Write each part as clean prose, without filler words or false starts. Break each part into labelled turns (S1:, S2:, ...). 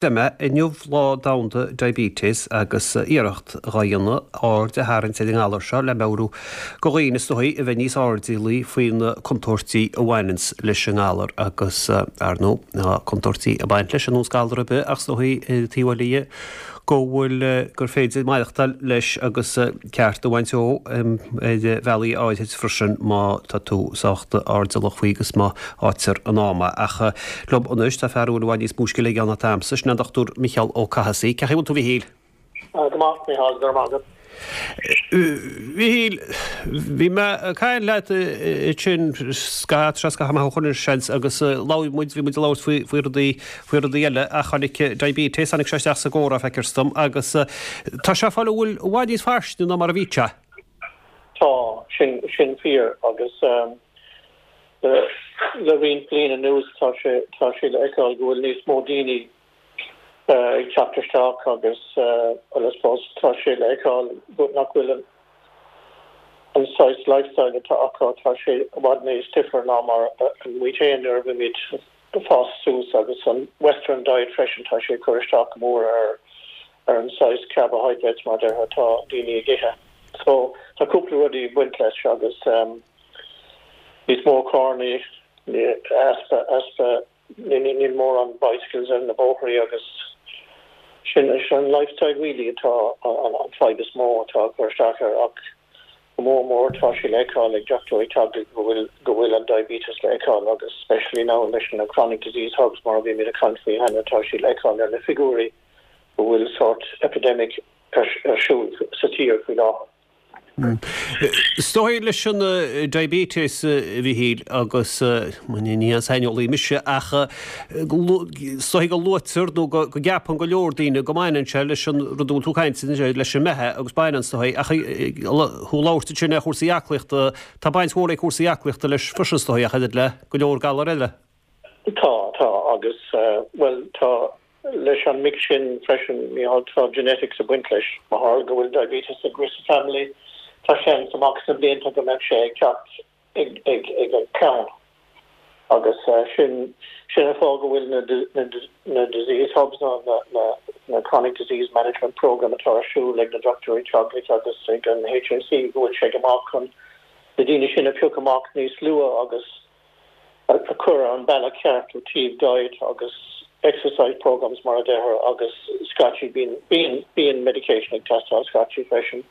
S1: Deir mé, inniu Lá Domhanda Diabetes agus iarracht dhá dhéanamh aird a tharraingt ar an ngalar seo le meabhrú go dhaoine is dóigh a bheith níos airdeallaí faoi na contúirtí a bhaineanns leis an ngalar agus, ar ndóigh, tá contúirtí ag baint leis ar nós galar ar bith ach is dóigh ar an taobh eile dhe go bhfuil, gur féidir maireachtáil leis agus ceart a bhaint dó ar bhealaí áirid freisin má tá tú sách airdeallach faoi agus má fhaightear in am é. Ach liom anois tá fear a bhfuil i bhfad níos mó scil aige ná atá a'msa, sin é an Dr Micheál Ó Cathasaigh. Cén chaoi a bhfuil tú a Mhichíl?
S2: Go maith, Micheál, go raibh maith agat.
S1: Mhichíl, bhí mé ag caint leat ansin scaitheamh, tá sé scaitheamh maith ó shoin anois seans, agus labhair muid, bhí muid ag labhairt faoi, faoi rudaí, faoi rudaí eile ach tháinig diabetes, tháinig sé isteach sa gcomhrá, feictear dom, agus tá sé ag fáil i bhfad níos fairsinge ná mar a bhí sé.
S2: Tá, sin, sin fíor agus le roinnt bliain anuas tá sé, tá sé le feiceáil go bhfuil níos mó daoine ag teacht isteach agus well I suppose tá sé le feiceáil nach bhfuil an an saghas lifestyle atá acu, tá sé i bhfad níos difir ná mar a muid féin nuair a bhí muid ag fás suas agus an western diet freisin tá sé ag cur isteach go mór ar ar an saghas carbohydrates mar a déarfá atá daoine ag ithe. So tá cúpla rudaí ag baint leis agus níos mó carrannaí, easpa easpa Níl mórán bicycles ar na bóithrí agus sin an lifestyle really atá an fadhb is mó atá ag cur isteach air ach go mór mór tá sé le feiceáil ag dochtúirí teaghlaigh go bhfuil go bhfuil an diabetes le feiceáil agus especially now leis na chronic disease hubs mar a bhí muid ag caint faoi cheana tá sé le feiceáil ar na figiúirí go bhfuil sort epidemic ar siúl sa tír faoi láthair.
S1: Is dóigh leis an diabetes, a Mhichíl, agus ní haon saineolaí mise, ach is dóigh go luaitear nó go gceapann go leor daoine go mbaineann sé leis an rud a bhfuil tú ag caint anois, leis an mbeatha agus baineann is dóigh, ach thú ag labhairt ansin ar chúrsaí aclaíochta, tá baint mhór ag cúrsaí aclaíochta leis freisin is dóigh, ach oiread le go leor galar eile.
S2: Tá, tá, agus, bhuel, tá Leis an mix sin freisin, Mícheál, tá genetics ag baint leis. Má tharla go bhfuil diabetes ag rith sa family, tá seans amach sna blianta go mbeadh sé ag teacht ag ag an clann. Agus sin sin an fáth go bhfuil na na na disease hubs nó na na na chronic disease management programme atá ar siúl ag na dochtúirí teaghlaigh agus ag an HSE go bhfuil sé go maith chun na daoine sin a phiocadh amach níos luath agus a chur ar an bealach ceart ó taobh diet agus exercise programmes mar a deirtear agus scaití bíonn bíonn bíonn medication ag teastáil scaití freisin.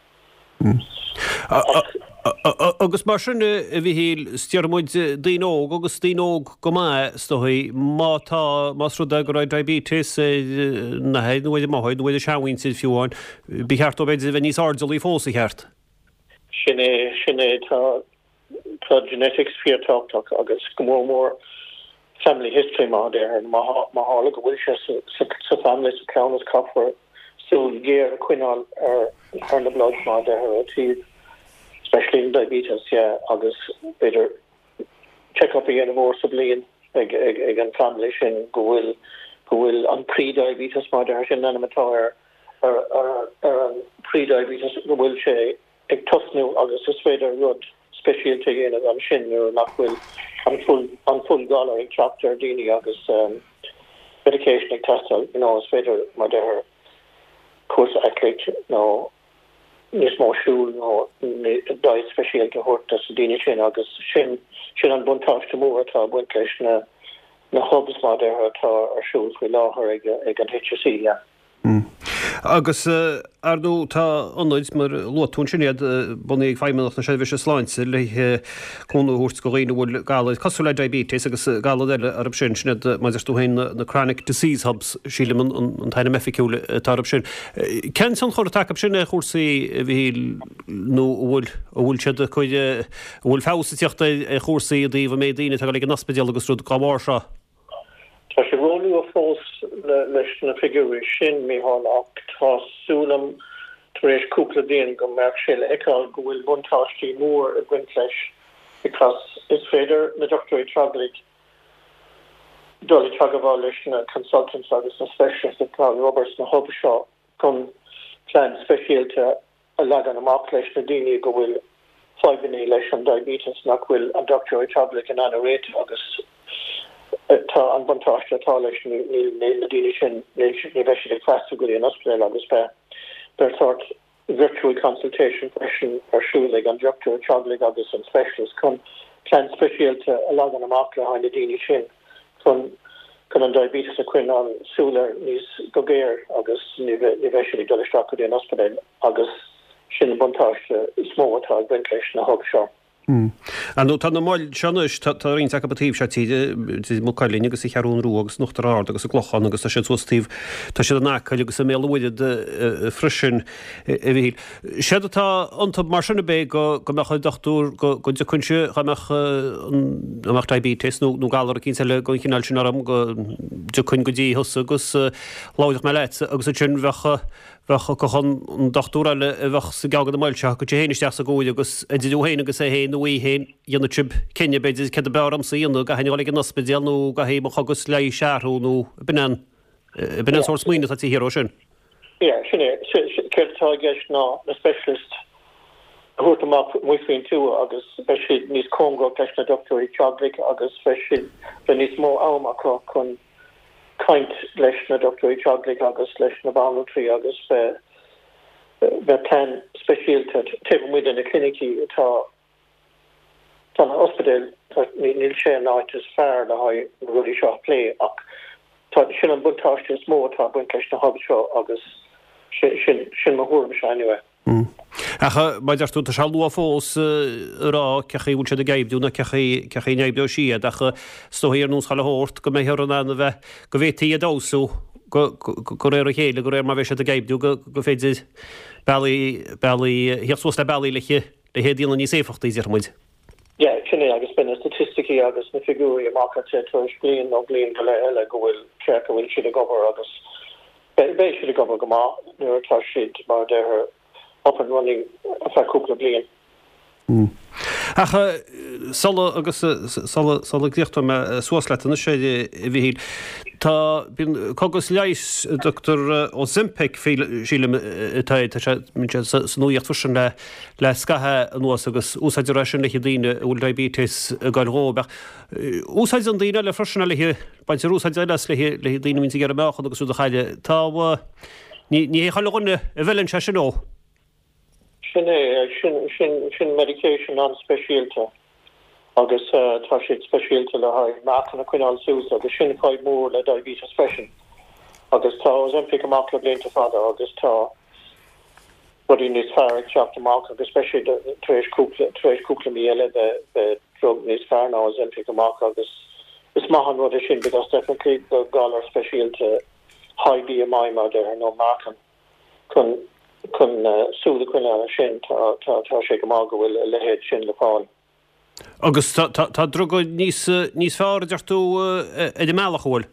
S1: Agus mar sin a Mhichíl, is déarfaidh muid daoine óg agus daoine óg go maith is dóigh, má tá, más rud é go raibh diabetes ar a n-athair nó ar a máthair nó ar a seanmhuintir fiú amháin, ba cheart dóibh b'fhéidir a bheith níos airdeallaí fós, an cheart?
S2: Sin é, sin é, tá Tá genetics fíorthábhachtach agus go mór mór family history mar a déarfá. Má tharla go bhfuil sé sa family, sa cleamhnas, caithfear súil ghéar a choinneáil ar na bloods mar a déarfá ó taobh especially an diabetes yeah agus b'fhéidir check up a dhéanamh uair sa bhliain ag ag an family sin go bhfuil go bhfuil an pre-diabetes mar a déarfá sin an ainm atá ar ar ar an pre-diabetes go bhfuil sé ag tosnú agus is féidir rud speisialta a dhéanamh ansin nuair nach bhfuil an full an full galar ag teacht ar daoine agus medication ag teastáil you know is féidir mar deirtear cúrsa aclaíocht nó níos mó siúl nó diet speisialta a thabhairt dos na daoine sin agus sin sin an buntáiste mór atá ag baint leis na na hubs mar deirtear atá ar siúl faoi láthair ag ag an HSE yeah.
S1: Agus, ar ndóigh, tá ionaid, mar a luaigh tú ansin iad, bunaithe ag Feidhmeannacht na Seirbhíse Sláinte le cúnamh a thabhairt do dhaoine a bhfuil galair cosúil le diabetes agus galair eile orthu sin, sin iad, mar a deir tú féin, na Chronic Disease Hubs, sílim an t-ainm oifigiúil atá orthu sin. Cén tionchar atá acu sin ar chúrsaí, a Mhichíl, nó an bhfuil, an bhfuil siad ag cur, an bhfuil feabhas ag teacht ar chúrsaí i dtaobh an méid daoine atá ag dul ag an ospidéal agus rud dá bharr seo?
S2: Tá sé róluath fós leis na figiúirí sin, Mícheál, ach tá súil agam tar éis cúpla bliain go mbeadh sé le feiceáil go bhfuil buntáistí mór ag baint leis because is féidir na dochtúirí teaghlaigh dul i teagmháil leis na consultants agus na specialists atá ag obair sna hubs seo chun plean speisialta a leagan amach leis na daoine go bhfuil fadhbanna leis an diabetes nach bhfuil an dochtúir teaghlaigh in ann a réiteach agus. Tá an buntáiste atá leis, níl na daoine sin, ní bheidh siad ag freastal go dtí an ospidéal agus beidh, beidh sórt virtual consultation freisin ar siúl ag an dochtúir teaghlaigh agus an specialist chun plean speisialta a leagan amach le haghaidh na daoine sin chun chun an diabetes a choinneáil súil air níos go géar agus ní bheidh ní bheidh siad ag dul isteach go dtí an ospidéal agus sin an buntáiste is mó atá ag baint leis na hubs seo.
S1: Ar ndóigh, tá na moil seo anois, tá roinnt acu an taobh seo tíre, i Maigh Cuilinn agus sa Cheathrún Rua agus in Uachtar Ard agus sa gClochán agus tá siad suas taobh, tá siad in Acaill agus i mBéal an Mhuirthead freisin, a Mhichíl. Séard atá iontu mar sin ab é go mbeadh an dochtúir, go dtiocfainnse, dá mbeadh, dá mbeadh diabetes nó galar eicínt eile den chineál sin orm, go dtiocfainn go dtí thusa agus labhródh mé leatsa agus ansin bheadh, Bheadh an dochtúir eile a bheadh sa gceann de na moil seo, thiocfadh sé féin isteach sa gcomhairle agus idir thú féin agus é féin nó í féin, dhéanfadh sibh cinneadh, b'fhéidir, céard ab fhearr dhomsa a dhéanamh, an gcaithfinn a dhul ag an ospidéal nó an gcaithfidh mo chogas leighis a athrú nó b'in an, b'in an sórt smaoineamh atá taobh thiar dhó sin.
S2: Yeah, sin é. Céard atá i gceist ná na specialists a thabhairt amach amuigh faoin tuath agus beidh siad níos cóngarach leis na dochtúirí teaghlaigh agus beidh siad, beidh níos mó am acu chun caint leis na dochtúirí teaghlaigh agus leis na banaltraí agus beidh plean speisialta taobh amuigh de na clinicí atá tá na ospidéil níl sé an áit is fearr le haghaidh na rudaí seo a phlé ach tá sin an buntáiste is mó atá ag baint leis na hubs seo agus sin sin mo thuairimse anyway.
S1: Ach mar a deir tú, tá sé luath fós a rá cé chaoi a bhfuil siad ag oibriú nó cé chaoi cé chaoi a n-oibreoidh siad ach is dóigh ar nós chuile shórt go mbeifear in ann a bheith, go bhféadfaí iad a fheabhsú go go réir a chéile, de réir mar a bheidh siad ag oibriú go go féidir bealaí bealaí theacht suas le bealaí le le hiad a dhéanamh níos éifeachtaí, déarfaidh muid.
S2: Yeah, sin é agus beidh na staitisticí agus na figiúirí amach I'd say tar éis bliain nó bliain go leith eile go bhfuil cé go bhfuil siad ag obair agus beidh siad ag obair go maith nuair atá siad mar a déarfá up and running ar feadh cúpla bliain.
S1: Ach sula agus sula sula gcríochnóidh mé suas leat anois a Mhichíl, tá bíonn cogas leighis a dtugtar Ozempic sílim atá tá sé sa nuaíocht freisin le le scaitheamh anuas agus úsáidtear é sin le haghaidh daoine a bhfuil diabetes ag goil dhóibh. Ach úsáideann daoine eile freisin é le haghaidh, baintear úsáid eile as le haghaidh le haghaidh daoine a bhíonns ag iarraidh meáchan agus rud a chailleadh. Tá, ní ní hé chuile dhuine a bhfeileann sé sin dó.
S2: Sin é, sin sin sin medication an-speisialta agus tá siad speisialta le haghaidh meáchan a choinneáil suas agus sin fadhb mhór le diabetes freisin. Agus tá Ozempic amach le blianta fada agus tá rudaí níos fearr ag teacht amach agus beidh siad tar éis cúpla tar éis cúpla mí eile beidh beidh drug níos fearr ná Ozempic amach agus is maith an rud é sin because definitely do galar speisialta high BMI mar a déarfá nó meáchan chun chun súil a choinneáil air sin tá tá tá sé go maith go bhfuil a leithéid sin le fáil.
S1: Agus tá tá tá druga níos níos fearr a deir tú ar an mbealach, an bhfuil?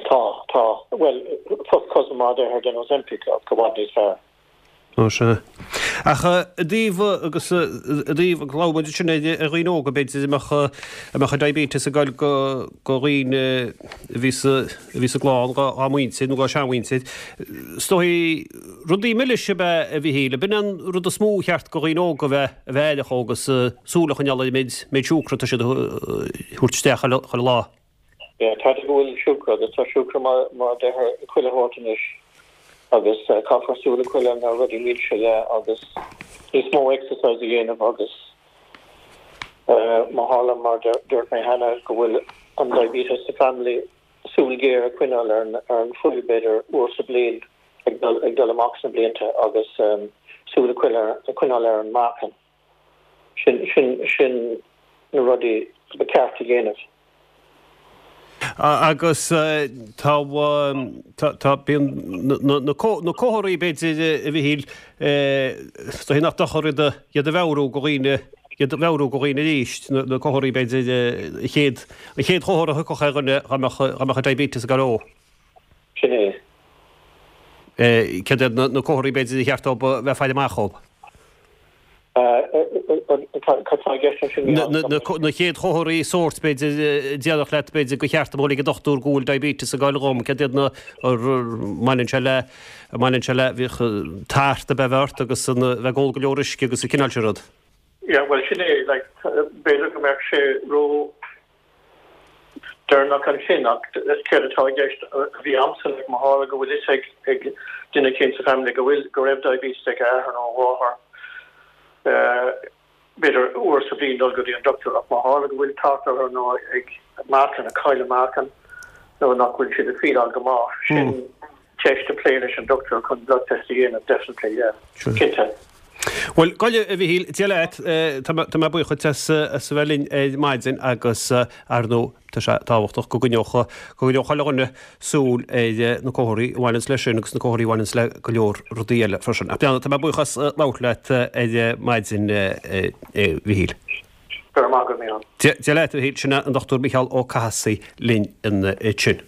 S2: Tá, tá. Bhuel, first cousin mar a déarfá den Ozempic ach i bhfad níos fearr.
S1: Ó sea. Ach i dtaobh agus i dtaobh agus labhair muid ansin ar ar dhaoine óga b'fhéidir a mbeadh a mbeadh an diabetes ag goil go go dhaoine a bhí sa a bhí sa gclann dá dá muintir nó dá seanmhuintir. Is dóigh rudaí milis ab ea a Mhichíl, ab in an rud is mó a cheart go dhaoine óga a bheith a bheith aireach agus súil a choinneáil ar an méid, méid siúcra atá siad a thabhairt isteach chuile lá.
S2: Yeah, tá go bhfuil siúcra agus tá siúcra mar, mar a déarfá i chuile shórt anois agus caithfear súil a choinneáil ar na rudaí milse, yeah, agus níos mó exercise a dhéanamh agus má tharla mar dúirt mé cheana go bhfuil an diabetes sa family, súil ghéar a choinneáil ar an, ar an fuil b'fhéidir uair sa bhliain ag dul, ag dul amach sna blianta agus súil a choinneáil ar an meáchan. Sin, sin, sin na rudaí ba cheart a dhéanamh.
S1: Agus tá, tá, tá, bíonn na, na comharthaí b'fhéidir a Mhichíl, is dóigh nach dochar iad a, iad a mheabhrú go dhaoine, iad a mheabhrú go dhaoine arís, na, na comharthaí b'fhéidir, an chéad, an chéad chomhartha a thiocfadh ar dhuine dá mbeadh, dá mbeadh an diabetes ag gabháil dhó.
S2: Sin é.
S1: Céard iad na comharthaí b'fhéidir a cheart dóibh a bheith ag faire amach dhóibh?
S2: Cad tá i gceist ansin?
S1: Na chéad chomharthaí sóirt b'fhéidir a déarfadh leat b'fhéidir gur cheart dom dhul ag an dochtúir go bhfuil diabetes ag gabháil dhom. Céard iad na mbaineann sé le mbaineann sé le bhíodh tart a bheith ort agus a bheith ag ól go leor uisce agus an cineál sin rud.
S2: Yeah, bhuel sin é, like, b'fhéidir go mbeadh sé ró. Deireanach ansin ach céard atá i gceist a bhí a'msa like má tharla go bhfuil fhios ag ag duine éicint sa family go bhfuil go raibh diabetes ag a athair nó a mháthair b'fhéidir uair sa bhliain dul go dtí an doctor ach má tharla go bhfuil tart orthu nó ag meáchan ag cailleadh meáchan nó nach bhfuil siad ag feeláil go maith sin ceist a plé leis an doctor chun blood test a dhéanamh definitely yeah cinnte.
S1: Bhuel, gabh i leith, a Mhichíl, Dia leat, tá mé buíoch duit as a bheith linn ar maidin agus ar ndóigh tá sé tábhachtach go gcoinneodh, go gcoinneodh chuile dhuine súil ar na comharthaí a bhaineanns leis sin agus na comharthaí a bhaineanns le go leor rudaí eile freisin. Ach tá mé buíoch as labhairt leat ar maidin, a Mhichíl.
S2: Go raibh maith agat, Micheál.
S1: Dia leat, a Mhichíl. Sin é an Dr Micheál Ó Cathasaigh linn ansin.